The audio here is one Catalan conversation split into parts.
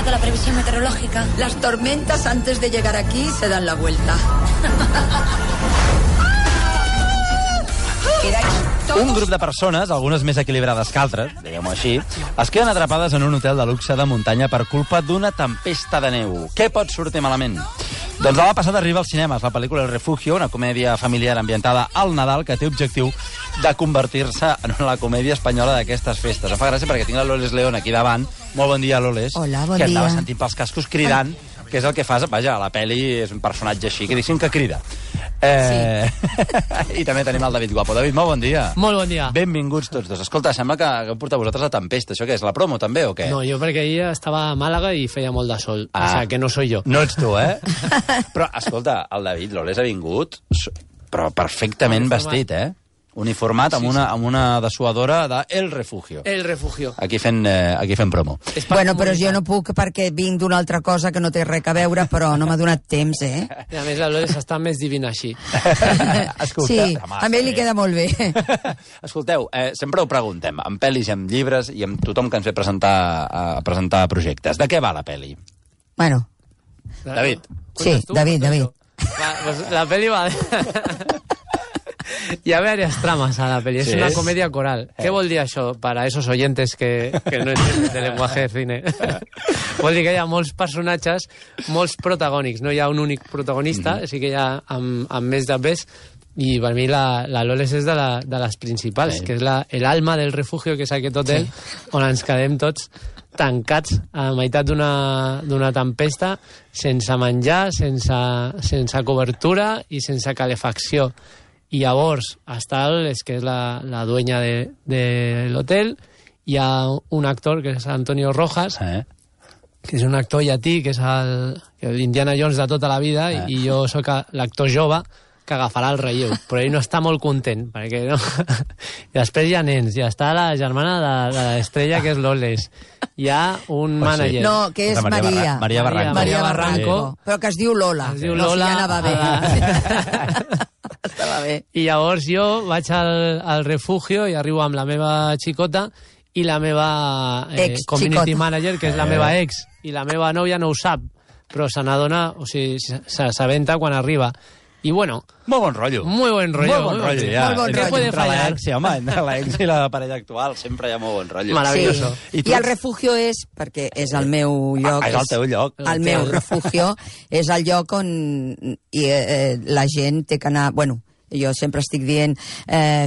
actualizado la previsión meteorológica. Las tormentas antes de llegar aquí se dan la vuelta. Un grup de persones, algunes més equilibrades que altres, diguem-ho així, es queden atrapades en un hotel de luxe de muntanya per culpa d'una tempesta de neu. Què pot sortir malament? Doncs la passada arriba als cinemes la pel·lícula El Refugio, una comèdia familiar ambientada al Nadal que té objectiu de convertir-se en la comèdia espanyola d'aquestes festes. Em fa gràcia perquè tinc la Loles León aquí davant. Molt bon dia, Loles. Hola, bon dia. Que andava dia. sentint pels cascos cridant, que és el que fas, vaja, a la pel·li és un personatge així, que diguéssim que crida. I també tenim el David Guapo. David, molt bon dia. Molt bon dia. Benvinguts tots dos. Escolta, sembla que heu portat vosaltres la tempesta. Això què és, la promo també o què? No, jo perquè ahir estava a Màlaga i feia molt de sol. O sigui, que no soy jo. No ets tu, eh? Però, escolta, el David Loles ha vingut, però perfectament vestit, eh? Uniformat amb una dessuadora de El Refugio. El Refugio. Aquí fent promo. Bueno, però jo no puc perquè vinc d'una altra cosa que no té res a veure, però no m'ha donat temps, eh? I a més la Loles està més divina així. Escolta, Sí, home, a mi li queda molt bé. Escolteu, sempre ho preguntem, amb pel·lis i amb llibres i amb tothom que ens ve a presentar projectes. De què va la pel·li? Bueno, David. sí, David. La peli va... Hi ha varias tramas a la peli, es una comedia coral. ¿Qué vol dir això para esos oyentes que no entienden de lenguaje de cine? Vol dir que hi ha molts personatges, molts protagònics, no hi ha un únic protagonista, sí que hi ha amb més de pes, i per mi la Loles és de les principals, que és el alma del refugio, que és aquest hotel on ens quedem tots tancats a la meitat d'una tempesta, sense menjar, sense cobertura i sense calefacció. I llavors està que és la dueña de l'hotel, hi ha un actor que és Antonio Rojas, que és un actor llatí, que és l'Indiana Jones de tota la vida, i jo sóc l'actor jove que agafarà el relleu, però ell no està molt content, perquè no... I després hi ha nens, i està la germana de l'estrella, que és Loles. Hi ha un mànager. No, que és Maria. Maria Barranco. Maria Barranco, però que es diu Lola. Es diu Lola. No, si ja anava bé. Estava bé. I llavors jo vaig al refugio i arribo amb la meva xicota i la meva community manager, que és la meva ex, i la meva nòvia no ho sap, però se n'adona, o sigui, s'assabenta quan arriba. I bueno... Molt bon rotllo. Muy buen rollo. Molt bon rotllo, ja. Molt bon ¿Qué rotllo. puede fallar? Sí, home, entre l'ex i la parella actual sempre hi ha molt bon rotllo. Maravilloso. Sí. I el refugio és, perquè és el meu lloc... És el teu lloc. El meu refugio és el lloc on la gent té que anar... Bueno, jo sempre estic dient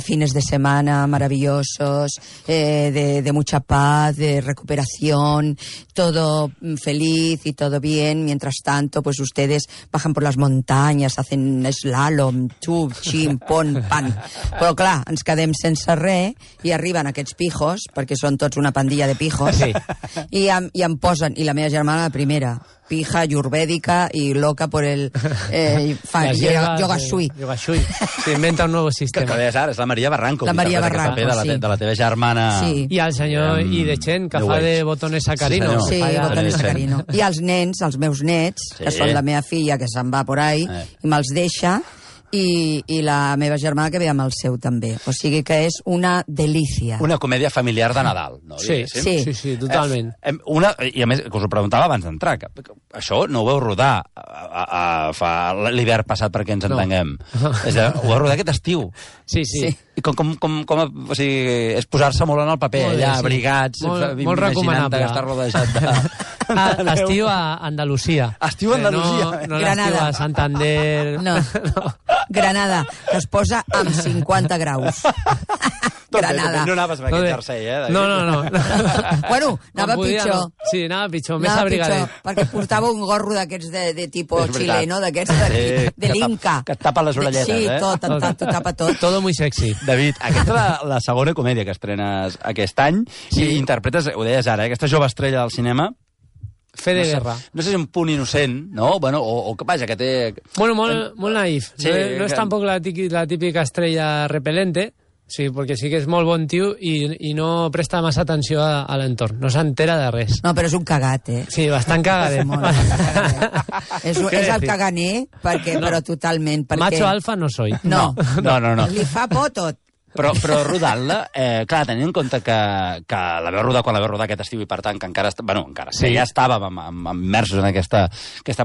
fines de semana maravillosos, de mucha paz, de recuperación, todo feliz y todo bien. Mientras tanto, pues ustedes bajan por las montañas, hacen slalom, xub, xim, pon, pan. Però clar, ens quedem sense res i arriben aquests pijos, perquè són tots una pandilla de pijos, i em posen, i la meva germana la primera, pija, ayurvédica y loca por el yoga shui. Yoga shui. Se inventa un nuevo Que sistema. deies ara, és la Maria Barranco. La Maria Barranco, de la teva germana... Sí. I el senyor Idechen, que fa de botones sacarino. Sí, Sí, senyor. botones sacarino. I els nens, els meus nets, que són la meva filla, que se'n va por ahí, i me'ls deixa, i la meva germana que ve amb el seu també. O sigui que és una delícia. Una comèdia familiar de Nadal, no? Sí, Diguéssim. totalment. I a més, que us ho preguntava abans d'entrar, que això no ho vau rodar fa l'hivern passat perquè ens entenguem. És a dir, ho vau rodar aquest estiu. Sí. I com o sigui, és posar-se molt en el paper, Molt bé, allà, sí. abrigats, Molt recomanable. Estar rodejat de... Estiu a Andalusia. Estiu a Andalusia. No l'estiu Granada. a Santander. No. Granada, que es posa amb 50 graus. Granada. No anaves amb aquest jersei, David? No. Bueno, anava Quan podia, pitjor. no. Sí, anava pitjor, més Anava abrigadet. pitjor, perquè portava un gorro d'aquests de tipus És veritat. xileno, d'aquests de l'Inca. Que et tapa les orelletes, sí, eh? T'ho tapa tot. Todo muy sexy. David, aquesta és la segona comèdia que estrenes aquest any i interpretes, ho deies ara, aquesta jove estrella del cinema. Fe de guerra. No sé si és un punt innocent, no? Bueno, o que vaja, que té... Bueno, molt naïf. Sí, no és tampoc la típica estrella repelente, sí, perquè sí que és molt bon tio i no presta massa atenció a l'entorn. No s'entera de res. No, però és un cagat, eh? Sí, bastant cagadet. És el caganer, però totalment. Perquè... Macho alfa no soy. No. No. Li fa por tot. Però rodant-la, clar, tenint en compte que la veu rodar quan la veu rodar aquest estiu i per tant que encara que ja estàvem immersos en aquesta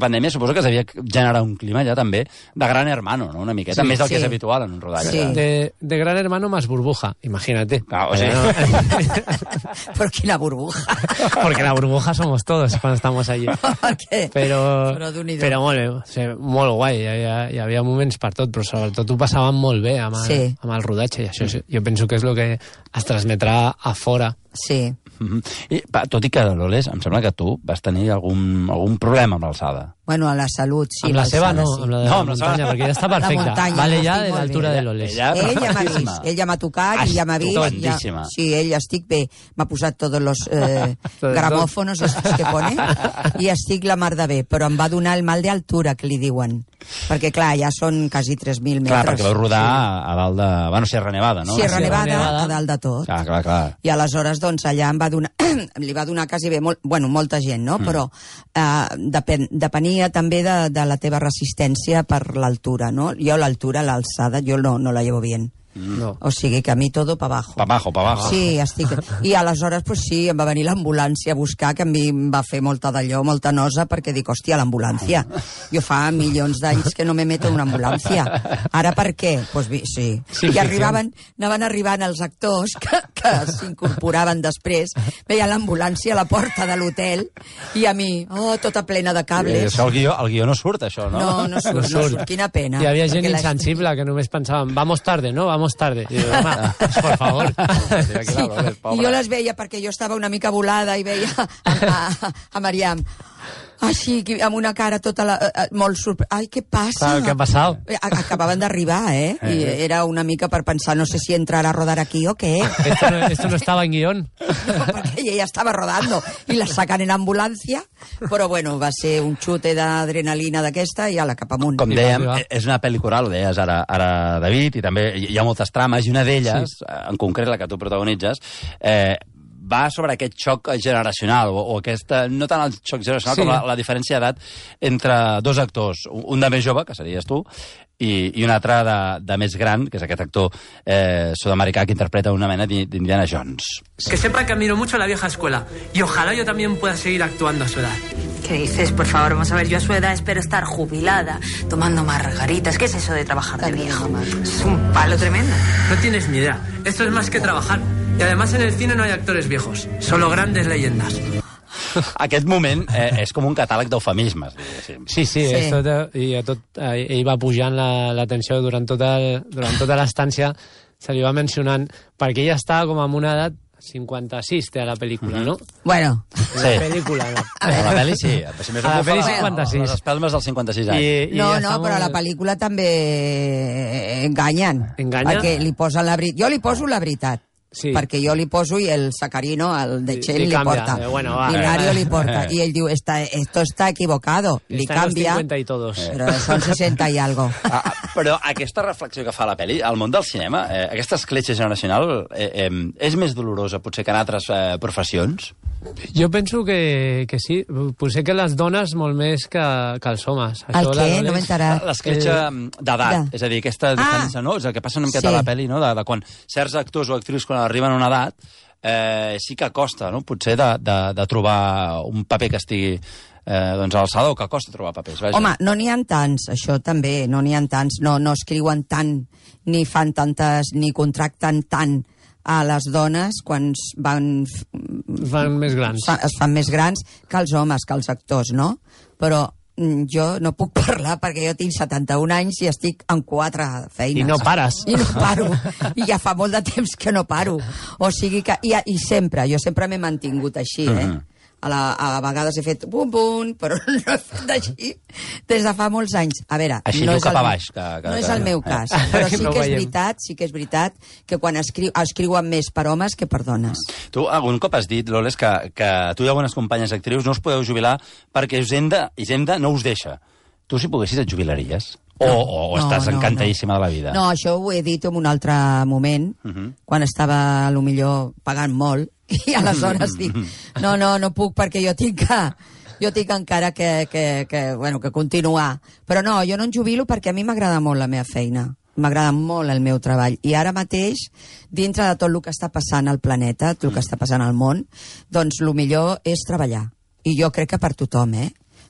pandèmia, suposo que es devia generar un clima ja també de gran hermano, ¿no? Una miqueta, més del que és habitual en un rodatge. Sí. De gran hermano más burbuja, imagínate. Claro, o sea, Però quina burbuja. Porque la burbuja somos todos cuando estamos allí. Però molt bé, o sigui, molt guai, hi havia moments per tot, però sobretot ho passàvem molt bé amb el rodatge, i això jo penso que és el que es transmetrà a fora. Sí. I, tot i que, Loles, em sembla que tu vas tenir algun problema amb l'alçada. Bueno, a la salut, sí. Amb la seva no, amb la de la muntanya, perquè ja està perfecta. Vale ja de l'altura de Loles. Ell ja m'ha vist, ell ja m'ha tocat i ja m'ha vist. Sí, ell estic bé. M'ha posat tots els gramòfonos estos que pone i estic la mar de bé, però em va donar el mal d'altura, que li diuen. Perquè, clar, ja són quasi 3.000 metres. Clar, perquè vau rodar a dalt de... Bueno, Sierra Nevada, no? Sierra Nevada, a dalt de tot. Clar. I aleshores, doncs, allà em va donar... li va donar quasi bé, molta gent, no? Però depenia també de la teva resistència per l'altura, no? Jo l'altura, l'alçada, jo no la llevo bien. No. O sigui que a mi todo pa abajo. Pa abajo. Sí, estic... I aleshores, pues sí, em va venir l'ambulància a buscar, que a mi em va fer molta nosa, perquè dic, hòstia, l'ambulància. Jo fa milions d'anys que no me meto en una ambulància. Ara per què? Pues sí. I anaven arribant els actors que s'incorporaven després, veia l'ambulància a la porta de l'hotel, i a mi, tota plena de cables. El guió no surt, això, no? No surt. Quina pena. Hi havia gent insensible que només pensàvem, vamos tarde, no? Vamos tarde. I dic, home, por favor. I jo les veia perquè jo estava una mica volada i veia a Mariam així, amb una cara tota molt sorpresa. Ai, què passa? ¿Qué ha pasado? Acabaven d'arribar, I era una mica per pensar, no sé si entrar a rodar aquí o què. Esto no estaba en guión. No, perquè ella estava rodando i la sacan en ambulància, però bueno, va ser un xute d'adrenalina d'aquesta i ala, cap amunt. Com dèiem, és una pel·li coral, ho deies ara David, i també hi ha moltes trames, i una d'elles, en concret la que tu protagonitzes, va sobre aquest xoc generacional, o aquesta, no tant el xoc generacional com la diferència d'edat entre dos actors, un de més jove, que series tu, i un altre de més gran, que és aquest actor sud-americà que interpreta una mena d'Indiana Jones. Que sepa que admiro mucho a la vieja escuela, y ojalá yo también pueda seguir actuando a su edad. ¿Qué dices? Por favor, vamos a ver, yo a su edad espero estar jubilada, tomando margaritas. ¿Qué es eso de trabajar de viejo? Es un palo tremendo. No tienes ni idea, esto es más que trabajar. Y además en el cine no hay actores viejos, solo grandes leyendas. Aquest moment és com un catàleg d'eufemismes, diguéssim. Sí. Ell va pujant la tensió durant tota l'estància, se li va mencionant, perquè ella estava com en una edat 56 té a la pel·lícula, no? Bueno. Sí. La pel·lícula, no. A la pel·li sí. A la pel·li 56. Les espelmes dels 56 anys. No, però a la pel·lícula també enganyen. Enganya? Perquè li posen la veritat. Jo li poso la veritat. Sí. Perquè jo li poso i el Sacarino, el de Chen, li porta. I Mario li porta. I ell diu, esto está equivocado. Li canvia. 50 i todos. Però són 60 i algo. Però aquesta reflexió que fa la pel·li, al món del cinema, aquesta escletxa generacional, és més dolorosa potser que en altres professions? Jo penso que sí. Potser que les dones molt més que els homes. El què? No m'he enterat. L'escletxa d'edat. És a dir, aquesta diferència, no? És el que passa una miqueta a la pel·li, no? De quan certs actors o actrius quan arriben a una edat, sí que costa, no? Potser de trobar un paper que estigui a l'alçada, o que costa trobar papers. Vaja. Home, no n'hi ha tants, això també, no n'hi ha tants, no escriuen tant, ni fan tantes, ni contracten tant a les dones quan van més grans. Es fan més grans que els homes, que els actors, no? Però jo no puc parlar perquè jo tinc 71 anys i estic en 4 feines. I no pares. I no paro. I ja fa molt de temps que no paro. O sigui que... I sempre, jo sempre m'he mantingut així, A vegades he fet bum, però no he fet així des de fa molts anys. A veure, així no és el meu cas, però sí que és veritat que quan escriuen més per homes que per dones. Tu algun cop has dit, Loles, que tu i algunes companyes actrius no us podeu jubilar perquè Hisenda no us deixa. Tu, si poguessis, et jubilaries? O estàs encantadíssima de la vida? No, això ho he dit en un altre moment, quan estava, potser, pagant molt, i aleshores dic, no puc perquè jo tinc encara que continuar. Però no, jo no em jubilo perquè a mi m'agrada molt la meva feina. m'agrada molt el meu treball. I ara mateix, dintre de tot el que està passant al planeta, tot el que està passant al món, doncs el millor és treballar. I jo crec que per tothom,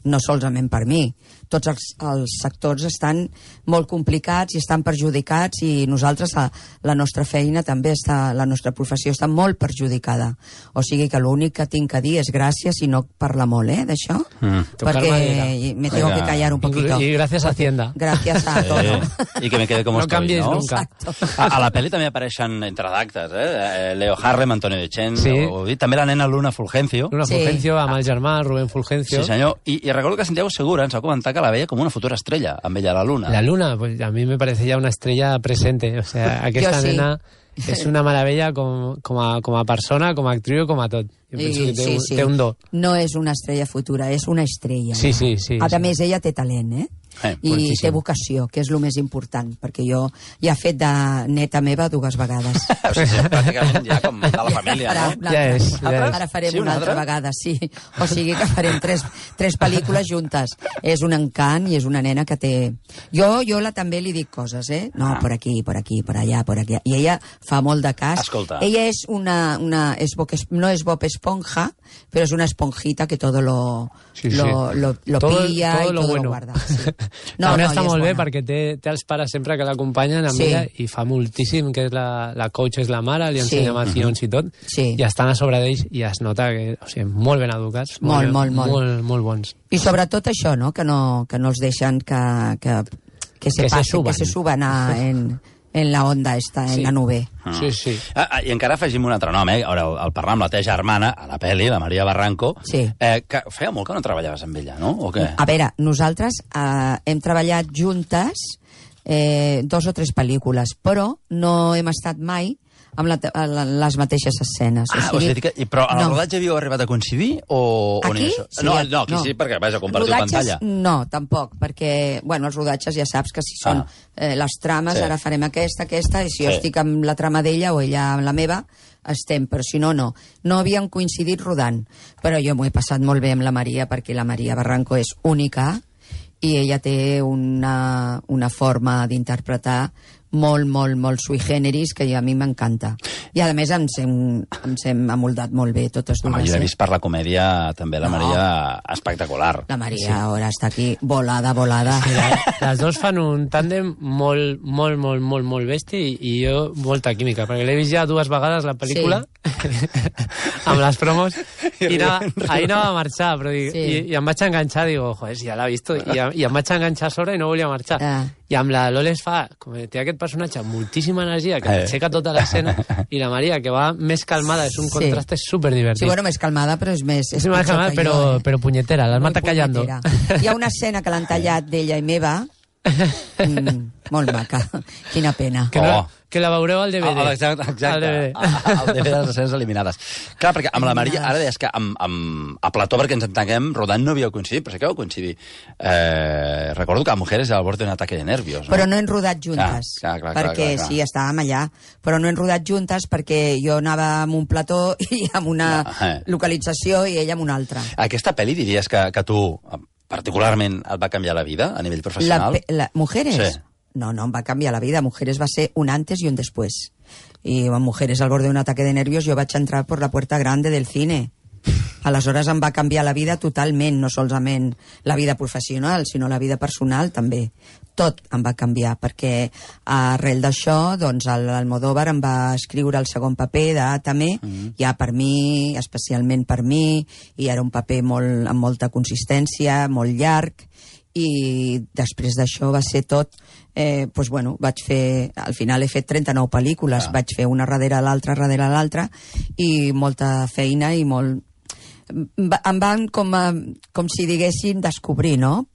no solament per mi. Tots els sectors estan molt complicats i estan perjudicats, i nosaltres, la nostra feina també està, la nostra professió està molt perjudicada. O sigui que l'únic que tinc a dir és gràcies, i no parla molt, d'això, perquè me tengo que callar un poquito. Y gracias a Hacienda. Gracias a todo. I que me quede como estoy, cambies no? nunca. A la pel·li també apareixen entre d'actes, Leo Harlem, Antonio Dechen, també la nena Luna Fulgencio. Luna Fulgencio, amb el germà, Rubén Fulgencio. Sí, senyor. I recordo que Santiago Segura ens va comentar que la veia com una futura estrella, amb ella, la Luna. La Luna, pues a mí me parece ya una estrella presente. O sea, aquesta nena és una meravella com a persona, com a actriu, com a tot. Jo penso que té un do. No és una estrella futura, és una estrella. Sí. A més, ella té talent, i té vocació, que és el més important, perquè jo ja he fet de neta meva 2 vegades. O sigui, pràcticament ja com de la família, no? Ja és. Ara farem una altra vegada, sí. O sigui que farem 3 pel·lícules juntes. És un encant i és una nena que té... Jo també li dic coses, No, por aquí, por allá, por aquí. I ella fa molt de cas. Escolta. Ella és no és Bob Esponja, però és una esponjita que todo lo pilla y todo lo guarda. Sí. També està molt bé perquè té els pares sempre que l'acompanyen amb ella, i fa moltíssim, que és la coach, és la mare, li ensenya macions i tot, i estan a sobre d'ells i es nota que, o sigui, molt ben educats, molt bons. I sobretot això, no? Que no els deixen que se suban en la onda esta, en la nube. Sí. I encara afegim un altre nom, Ara el parlar amb la teva germana, a la pel·li, la Maria Barranco, que feia molt que no treballaves amb ella, no? O què? A veure, nosaltres hem treballat juntes 2 o 3 pel·lícules, però no hem estat mai amb les mateixes escenes. O sigui, però en el rodatge havíeu arribat a coincidir? Aquí? No, aquí sí, perquè vaja, compartir pantalla. No, tampoc, perquè, els rodatges ja saps que si són les trames, ara farem aquesta, i si jo estic amb la trama d'ella o ella amb la meva, estem, però si no, no. No havíem coincidit rodant, però jo m'ho he passat molt bé amb la Maria, perquè la Maria Barranco és única i ella té una forma d'interpretar molt sui generis, que a mi m'encanta. I a més ens hem amoldat molt bé totes dues. Jo he vist per la comèdia també la Maria espectacular. La Maria ara està aquí volada. Les dos fan un tàndem molt bèstia i jo molta química, perquè l'he vist ja 2 vegades la pel·lícula amb les promos i ahir anava a marxar, però i em vaig enganxar, digo, joder, si ja l'ha vist, i em vaig enganxar a sobre i no volia marxar. I amb la Loles té aquest personatge amb moltíssima energia que aixeca tota l'escena, i la Maria, que va més calmada, és un contraste superdivertit. Sí, més calmada, però és més... És més calmada, però punyetera, l'has matat callando. Hi ha una escena que l'han tallat d'ella i meva, molt maca, quina pena. Que la veureu al DVD. Exacte, al DVD de les escenes eliminades. Clar, perquè amb la Maria, ara deies que a plató, perquè ens entenguem, rodant no havíeu coincidit, però sí que vau coincidir. Recordo que a Mujeres al borde d'un ataque de nervios. Però no hem rodat juntes, perquè sí, estàvem allà, però no hem rodat juntes perquè jo anava amb un plató i amb una localització i ella amb una altra. Aquesta pel·li diries que tu particularment et va canviar la vida a nivell professional? Mujeres? Sí. No, em va canviar la vida. Mujeres va ser un antes y un después. Y en Mujeres al borde d'un ataque de nervios jo vaig entrar per la puerta grande del cine. Aleshores em va canviar la vida totalment, no solament la vida professional, sinó la vida personal també. Tot em va canviar, perquè arrel d'això, doncs, l'Almodóvar em va escriure el segon paper d'Átame, ja per mi, especialment per mi, i era un paper amb molta consistència, molt llarg, i després d'això va ser tot, vaig fer, al final he fet 39 pel·lícules, vaig fer una darrere l'altra, i molta feina i molt... Em van com si diguéssim descobrir, no?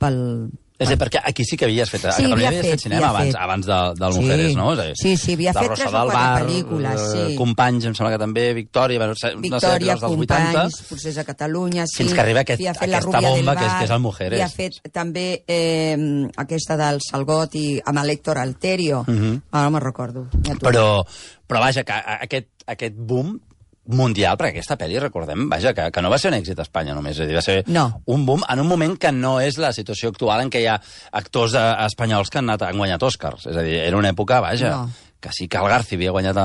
És a dir, perquè aquí sí que havies fet... A Catalunya havies fet cinema abans del Mujeres, no? Sí, havia fet 3 o 4 pel·lícules, sí. Companys, em sembla que també, Victòria, Companys, Procés a Catalunya, sí. Fins que arriba aquesta bomba que és el Mujeres. Havia fet també aquesta del Salgot i amb l'Héctor Alterio. Ara no me'n recordo. Però vaja, que aquest boom mundial, perquè aquesta pel·li, recordem, vaja, que no va ser un èxit a Espanya només, és a dir, va ser un boom en un moment que no és la situació actual en què hi ha actors espanyols que han guanyat Oscars. És a dir, era una època, vaja, que sí que el Garci havia guanyat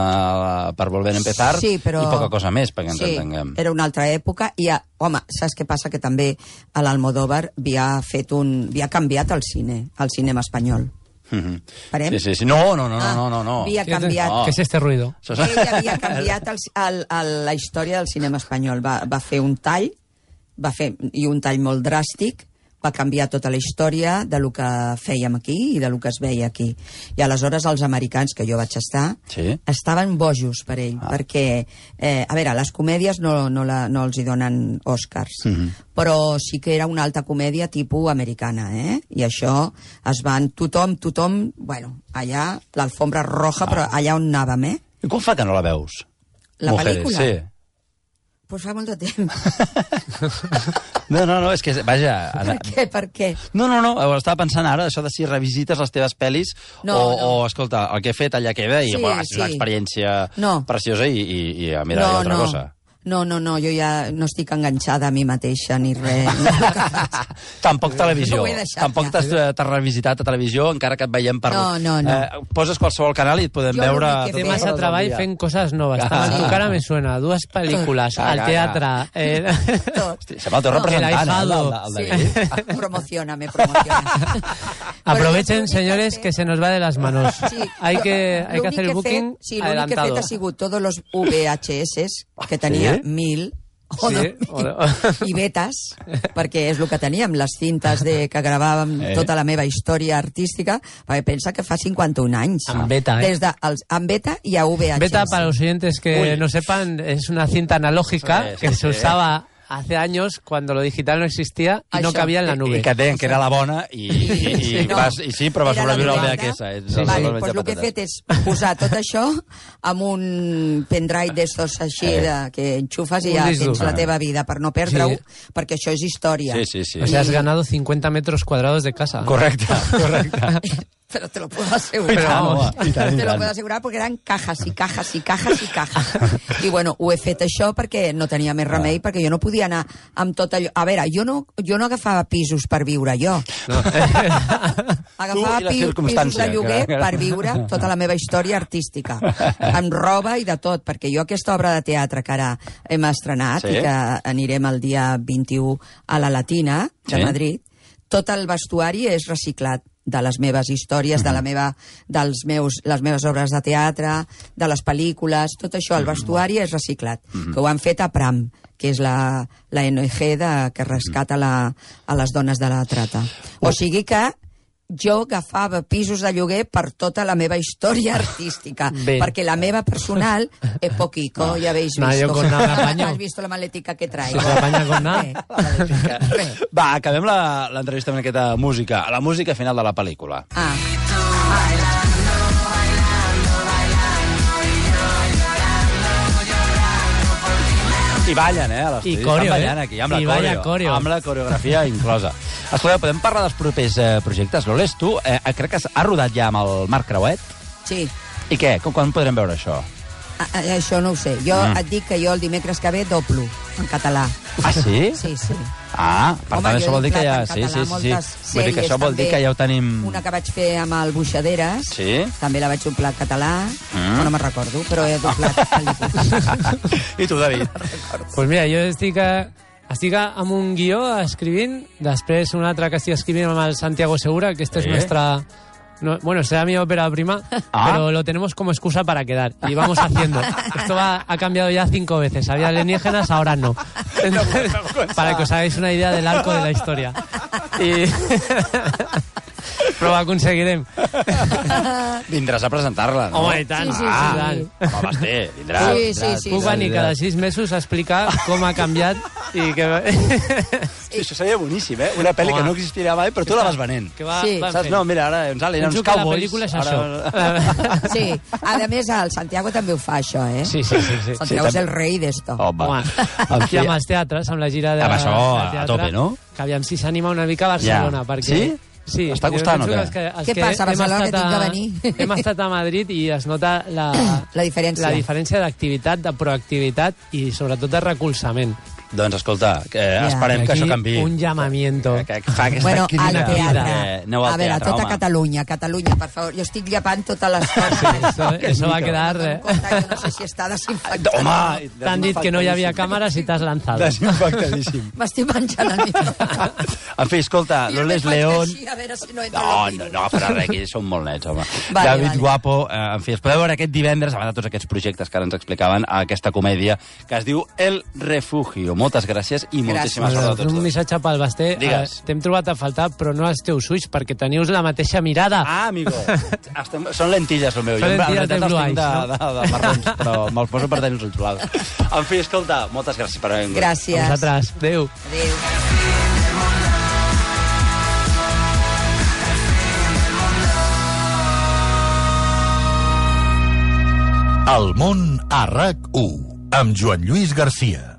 per Volver a Empezar i poca cosa més, perquè ens entenguem. Sí, era una altra època i, home, saps què passa? Que també a l'Almodóvar havia canviat el cinema espanyol. Sí. No. Havia canviat... ¿Qué es este ruido? Ell havia canviat la història del cinema espanyol. Va fer un tall, i un tall molt dràstic, va canviar tota la història de lo que fèiem aquí i de lo que es veia aquí. I aleshores els americans, que jo vaig estar, estaven bojos per ell, perquè, a veure, les comèdies no els hi donen Oscars, però sí que era una alta comèdia tipus americana, i això es van... Tothom, bueno, allà, l'alfombra roja, però allà on anàvem, I com fa que no la veus? La pel·lícula? Sí. Pues fa molt de temps. No, és que, vaja... Per què? No, ho estava pensant ara, això de si revisites les teves pel·lis o, escolta, el que he fet allà queda i ha sigut una experiència preciosa i a mirar altra cosa. No, jo ja no estic enganxada a mi mateixa ni res. Tampoc televisió. Tampoc t'has revisitat a televisió, encara que et veiem per... No. Poses qualsevol canal i et podem veure... Té massa treball fent coses noves. Tu cara me suena, 2 pel·lícules, al teatre... Sembla el teu representant, el David. Promocioname. Aprovechen, señores, que se nos va de las manos. Hay que hacer el booking adelantado. Sí, l'únic que he fet ha sigut tots els VHS que tenia 1000 i betes, perquè és el que teníem, les cintes que gravàvem tota la meva història artística, perquè pensa que fa 51 anys. En beta, en beta y a VHS. Beta, para los oyentes que no sepan, es una cinta analógica que se usaba hace años cuando lo digital no existía y no cabía en la nube. I que deien que era la bona i sí, però va sobreviure el VHS. Vale, doncs el que he fet és posar tot això amb un pendrive d'estos així que enxufes i ja tens la teva vida per no perdre-ho, perquè això és història. Sí. O sea, has ganado 50 metros cuadrados de casa. Correcte. Pero te lo puedo asegurar. Te lo puedo asegurar porque eran cajas y cajas. I bueno, ho he fet això perquè no tenia més remei, perquè jo no podia anar amb tot allò... A veure, jo no agafava pisos per viure jo. Agafava pisos de lloguer per viure tota la meva història artística, amb roba i de tot, perquè jo aquesta obra de teatre que ara hem estrenat i que anirem el dia 21 a la Latina de Madrid, tot el vestuari és reciclat de les meves històries, de les meves obres de teatre, de les pel·lícules, tot això, el vestuari és reciclat, que ho han fet a Pram, que és la ONG que rescata a les dones de la trata. O sigui que jo agafava pisos de lloguer per tota la meva història artística, perquè la meva personal es poquito, ya habéis visto. Has visto la maletica que traigo. Va, acabem l'entrevista amb aquesta música, la música final de la pel·lícula. I ballen, a l'estudi. Estan ballant aquí, amb la coreografia inclosa. Escolta, podem parlar dels propers projectes? Loles, tu crec que has rodat ja amb el Marc Creuet? Sí. I què? Quan podrem veure això? Això no ho sé. Jo et dic que jo el dimecres que ve doblo en català. Ah, sí? Sí. Per tant, això vol dir que ja... Sí. Vull dir que això vol dir que ja ho tenim... Una que vaig fer amb el Buixaderes, també la vaig doblar en català, no me'n recordo, però he doblat pel·lícules. I tu, David? Pues mira, jo estic amb un guió escrivint, després un altre que estic escrivint amb el Santiago Segura, que esta es nuestra... bueno, será mi ópera prima, pero lo tenemos como excusa para quedar. Y vamos haciendo. Esto ha cambiado ya 5 veces. Había alienígenas, ahora no. Para que os hagáis una idea del arco de la historia. Però ho aconseguirem. Vindràs a presentar-la, no? Home, i tant. Sí. Home, vindràs. Sí. Puc venir cada 6 mesos a explicar com ha canviat i que... Això seria boníssim, Una pel·li que no existiria mai, però tu la vas venent. Saps? No, mira, ara uns aliens, uns cowboys... La pel·lícula és això. Sí. A més, el Santiago també ho fa, això, Sí. Santiago és el rei d'esto. Home. I amb els teatres, amb la gira de... Amb això, a tope, no? Que aviam si s'anima una mica a Barcelona, perquè... Sí? Sí, Està costant, o què? Què passa a Barcelona, que tinc que venir? Hem estat a Madrid i es nota la diferència d'activitat, de proactivitat i sobretot de recolzament. Doncs escolta, esperem que això canvi. Un llamamiento. Que fa aquesta Bueno, al crida. teatre. Aneu al A veure, teatre, tota home. Catalunya, per favor. Jo estic llepant totes les coses. Eso va a quedar... No sé si està desinfectat. Home! T'han dit que no hi havia càmeres i t'has lanzat. Desinfectadíssim. M'estic menjant el micro. En fi, escolta, Loles León... A veure si no entra No, farà res, aquí som molt nets, home. Vale, David vale. Guapo, en fi, es podeu veure aquest divendres, a banda de tots aquests projectes que ara ens explicaven, a aquesta comèdia que es diu El Refugio. Moltes gràcies i moltíssima sort a tots Un dos. missatge pel Basté. Digues. T'hem trobat a faltar, però no els teus ulls, perquè teniu la mateixa mirada. Ah, amigo. Són lentilles, el meu. Són Jo, en lentilles realitat, de Blue els tinc Eyes, de marrons, però me'ls poso per tenir els ulls blaus. En fi, escolta, moltes gràcies per haver vingut. Gràcies. A vosaltres. Adéu. Adéu. El món a RAC1 amb Joan Lluís Garcia.